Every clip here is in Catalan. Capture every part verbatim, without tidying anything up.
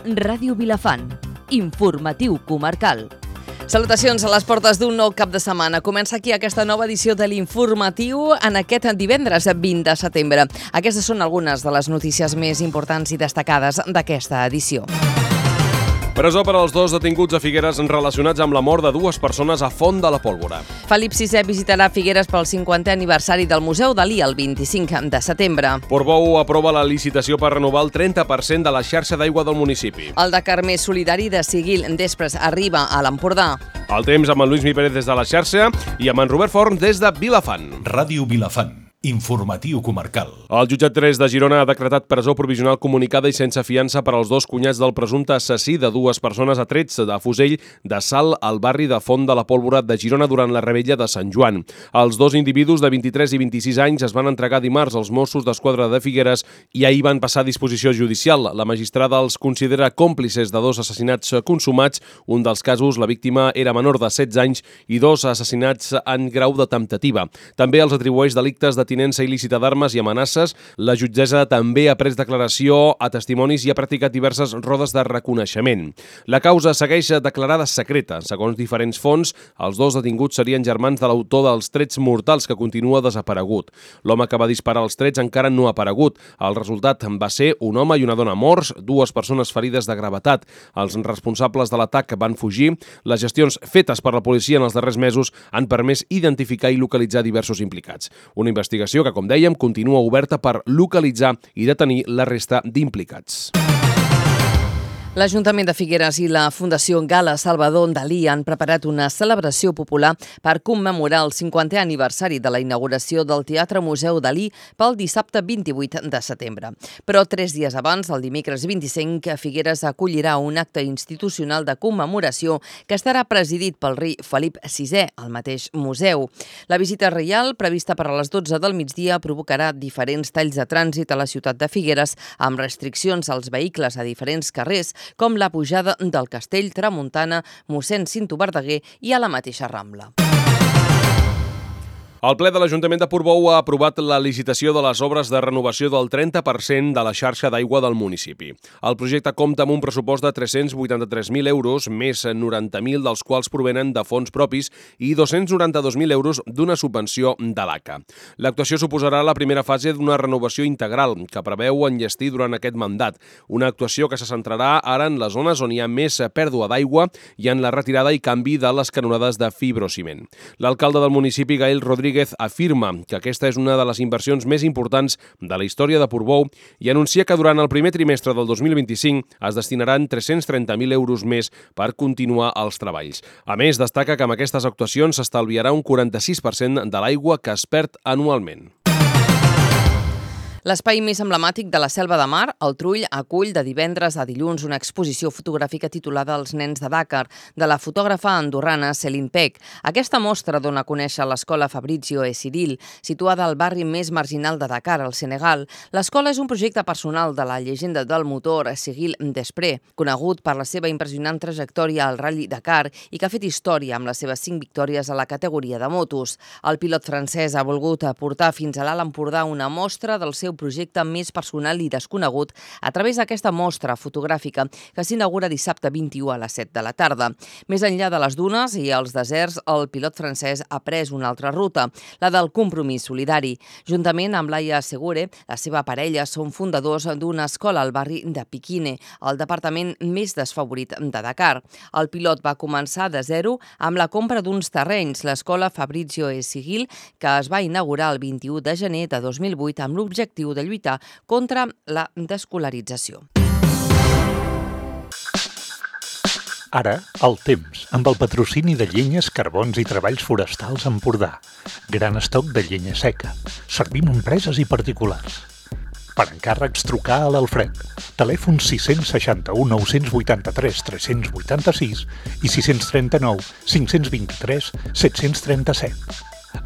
Ràdio Vilafant. Informatiu comarcal. Salutacions a les portes d'un nou cap de setmana. Comença aquí aquesta nova edició de l'Informatiu en aquest divendres vint de setembre. Aquestes són algunes de les notícies més importants i destacades d'aquesta edició. Presó per als dos detinguts a Figueres relacionats amb la mort de dues persones a Font de la Pólvora. Felip sisè visitarà Figueres pel cinquantè aniversari del Museu Dalí el vint-i-cinc de setembre. Portbou aprova la licitació per renovar el trenta per cent de la xarxa d'aigua del municipi. El Dakar més solidari de Seguil Després arriba a l'Empordà. El temps amb en Lluís Mi Pérez des de la xarxa i amb en Robert Forn des de Vilafant. Ràdio Vilafant. Informatiu comarcal. El jutjat tres de Girona ha decretat presó provisional comunicada i sense fiança per als dos cunyats del presumpte assassí de dues persones a trets de fusell de Salt al barri de Font de la Pólvora de Girona durant la revetlla de Sant Joan. Els dos individus de vint-i-tres i vint-i-sis anys es van entregar dimarts als Mossos d'Esquadra de Figueres i ahir van passar a disposició judicial. La magistrada els considera còmplices de dos assassinats consumats. Un dels casos, la víctima era menor de setze anys i dos assassinats en grau de temptativa. També els atribueix delictes de tinença il·lícita d'armes i amenaces. La jutgessa també ha pres declaració a testimonis i ha practicat diverses rodes de reconeixement. La causa segueix declarada secreta. Segons diferents fonts, els dos detinguts serien germans de l'autor dels trets mortals que continua desaparegut. L'home que va disparar els trets encara no ha aparegut. El resultat va ser un home i una dona morts, dues persones ferides de gravetat. Els responsables de l'atac van fugir. Les gestions fetes per la policia en els darrers mesos han permès identificar i localitzar diversos implicats. Una investigació que, com dèiem, continua oberta per localitzar i detenir la resta d'implicats. L'Ajuntament de Figueres i la Fundació Gala Salvador Dalí han preparat una celebració popular per commemorar el cinquantè aniversari de la inauguració del Teatre Museu Dalí pel dissabte vint-i-vuit de setembre. Però tres dies abans, el dimecres vint-i-cinc, Figueres acollirà un acte institucional de commemoració que estarà presidit pel rei Felip sisè al mateix museu. La visita reial, prevista per a les dotze del migdia, provocarà diferents talls de trànsit a la ciutat de Figueres amb restriccions als vehicles a diferents carrers, com la pujada del Castell, Tramuntana, mossèn Cinto Verdaguer i a la mateixa Rambla. El ple de l'Ajuntament de Portbou ha aprovat la licitació de les obres de renovació del trenta per cent de la xarxa d'aigua del municipi. El projecte compta amb un pressupost de tres-cents vuitanta-tres mil euros, més noranta mil dels quals provenen de fons propis i dos-cents noranta-dos mil euros d'una subvenció de l'A C A. L'actuació suposarà la primera fase d'una renovació integral que preveu enllestir durant aquest mandat. Una actuació que se centrarà ara en les zones on hi ha més pèrdua d'aigua i en la retirada i canvi de les canonades de fibrociment. L'alcalde del municipi, Gael Rodríguez, afirma que aquesta és una de les inversions més importants de la història de Portbou i anuncia que durant el primer trimestre del dos mil vint-i-cinc es destinaran tres-cents trenta mil euros més per continuar els treballs. A més, destaca que amb aquestes actuacions s'estalviarà un quaranta-sis per cent de l'aigua que es perd anualment. L'espai més emblemàtic de la Selva de Mar, el Trull, acull de divendres a dilluns una exposició fotogràfica titulada Els nens de Dakar, de la fotògrafa andorrana Céline Peck. Aquesta mostra dona a conèixer l'escola Fabrizio e Cyril, situada al barri més marginal de Dakar, al Senegal. L'escola és un projecte personal de la llegenda del motor Seguil Després, conegut per la seva impressionant trajectòria al Rally Dakar i que ha fet història amb les seves cinc victòries a la categoria de motos. El pilot francès ha volgut portar fins a l'Alt Empordà una mostra del seu projecte més personal i desconegut a través d'aquesta mostra fotogràfica que s'inaugura dissabte vint-i-u a les set de la tarda. Més enllà de les dunes i els deserts, el pilot francès ha pres una altra ruta, la del compromís solidari. Juntament amb Laia Segure, la seva parella són fundadors d'una escola al barri de Piquine, el departament més desfavorit de Dakar. El pilot va començar de zero amb la compra d'uns terrenys, l'escola Fabrizio e Cyril, que es va inaugurar el vint-i-u de gener de dos mil vuit amb l'objectiu de lluitar contra la descolarització. Ara, el temps, amb el patrocini de Llenyes, Carbons i Treballs Forestals Empordà. Gran estoc de llenya seca. Servim empreses i particulars. Per encàrrecs, trucar a l'Alfred. Telèfon sis seixanta-u nou vuitanta-tres tres vuitanta-sis i sis trenta-nou cinc vint-i-tres set trenta-set.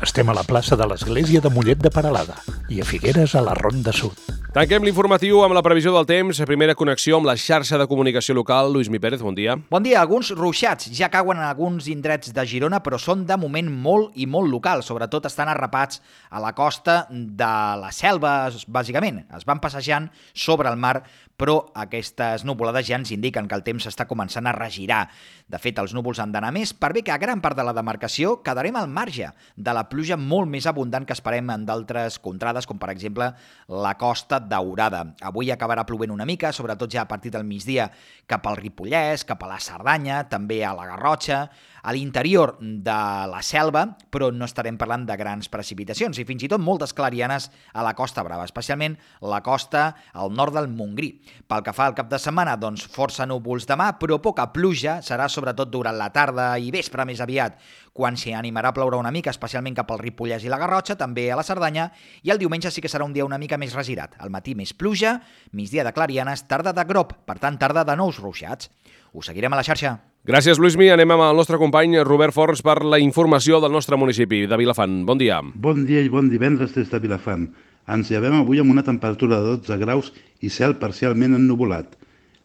Estem a la plaça de l'Església de Mollet de Peralada i a Figueres a la Ronda Sud. Tanquem l'informatiu amb la previsió del temps. Primera connexió amb la xarxa de comunicació local. Lluís Mi Pérez, bon dia. Bon dia. Alguns ruixats ja cauen en alguns indrets de Girona, però són de moment molt i molt locals. Sobretot estan arrapats a la costa de la Selva, bàsicament. Es van passejant sobre el mar però aquestes nuvolades ja ens indiquen que el temps està començant a regirar. De fet, els núvols han d'anar més, per bé que a gran part de la demarcació quedarem al marge de la pluja molt més abundant que esperem en d'altres contrades, com per exemple la Costa Daurada. Avui acabarà plovent una mica, sobretot ja a partir del migdia cap al Ripollès, cap a la Cerdanya, també a la Garrotxa, a l'interior de la Selva, però no estarem parlant de grans precipitacions i fins i tot moltes clarianes a la Costa Brava, especialment la costa al nord del Montgrí. Pel que fa al cap de setmana, doncs força núvols demà, però poca pluja, serà sobretot durant la tarda i vespre més aviat, quan s'hi animarà a ploure una mica, especialment cap al Ripollès i la Garrotxa, també a la Cerdanya, i el diumenge sí que serà un dia una mica més regirat. Al matí més pluja, migdia de clarianes, tarda de grop, per tant tarda de nous ruixats. Us seguirem a la xarxa. Gràcies, Luismi. Anem amb el nostre company Robert Forns per la informació del nostre municipi de Vilafant. Bon dia. Bon dia i bon divendres des de Vilafant. Ens llevem avui amb una temperatura de dotze graus i cel parcialment ennuvolat.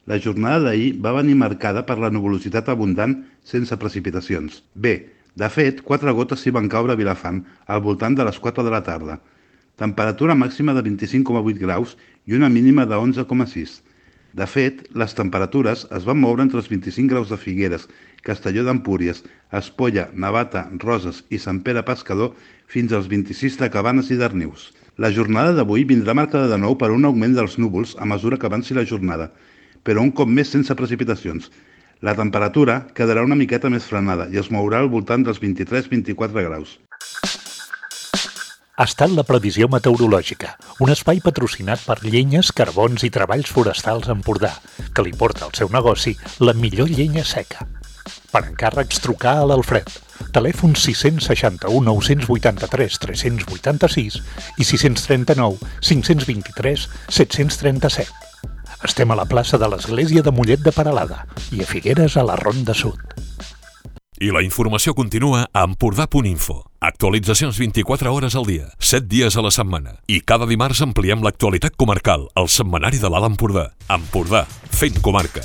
La jornada d'ahir va venir marcada per la nuvolositat abundant sense precipitacions. Bé, de fet, quatre gotes s'hi van caure a Vilafant al voltant de les quatre de la tarda. Temperatura màxima de vint-i-cinc coma vuit graus i una mínima de onze coma sis. De fet, les temperatures es van moure entre els vint-i-cinc graus de Figueres, Castelló d'Empúries, Espolla, Navata, Roses i Sant Pere Pescador fins als vint-i-sis de Cabanes i Darnius. La jornada d'avui vindrà marcada de nou per un augment dels núvols a mesura que avanci la jornada, però un cop més sense precipitacions. La temperatura quedarà una miqueta més frenada i es mourà al voltant dels vint-i-tres a vint-i-quatre graus. Ha estat la previsió meteorològica, un espai patrocinat per Llenyes, Carbons i Treballs Forestals Empordà, que li porta al seu negoci la millor llenya seca. Per encàrrecs, trucar a l'Alfred. Telèfon sis seixanta u nou vuitanta-tres tres vuitanta-sis i sis trenta-nou cinc vint-i-tres set trenta-set. Estem a la plaça de l'Església de Mollet de Peralada i a Figueres a la Ronda Sud. I la informació continua a empordà punt info. Actualitzacions vint-i-quatre hores al dia, set dies a la setmana. I cada dimarts ampliem l'actualitat comarcal al setmanari de l'Alt Empordà. Empordà, fent comarca.